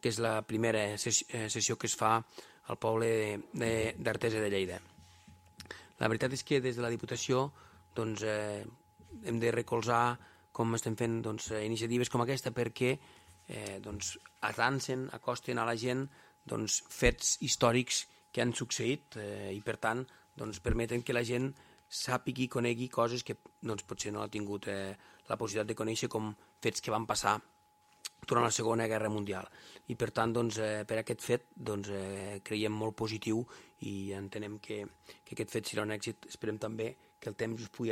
que és la primera sessió que es fa al poble d'Artesa de Lleida. La veritat és que des de la Diputació hem de recolzar com estem fent iniciatives com aquesta perquè atancen, acosten a la gent fets històrics que han succeït i per tant permeten que la gent sàpigui i conegui coses que potser no ha tingut la possibilitat de conèixer, com fets que van passar durant la Segona Guerra Mundial. I per tant, per aquest fet, creiem molt positiu i entenem que aquest fet serà un èxit. Esperem també que el temps us pugui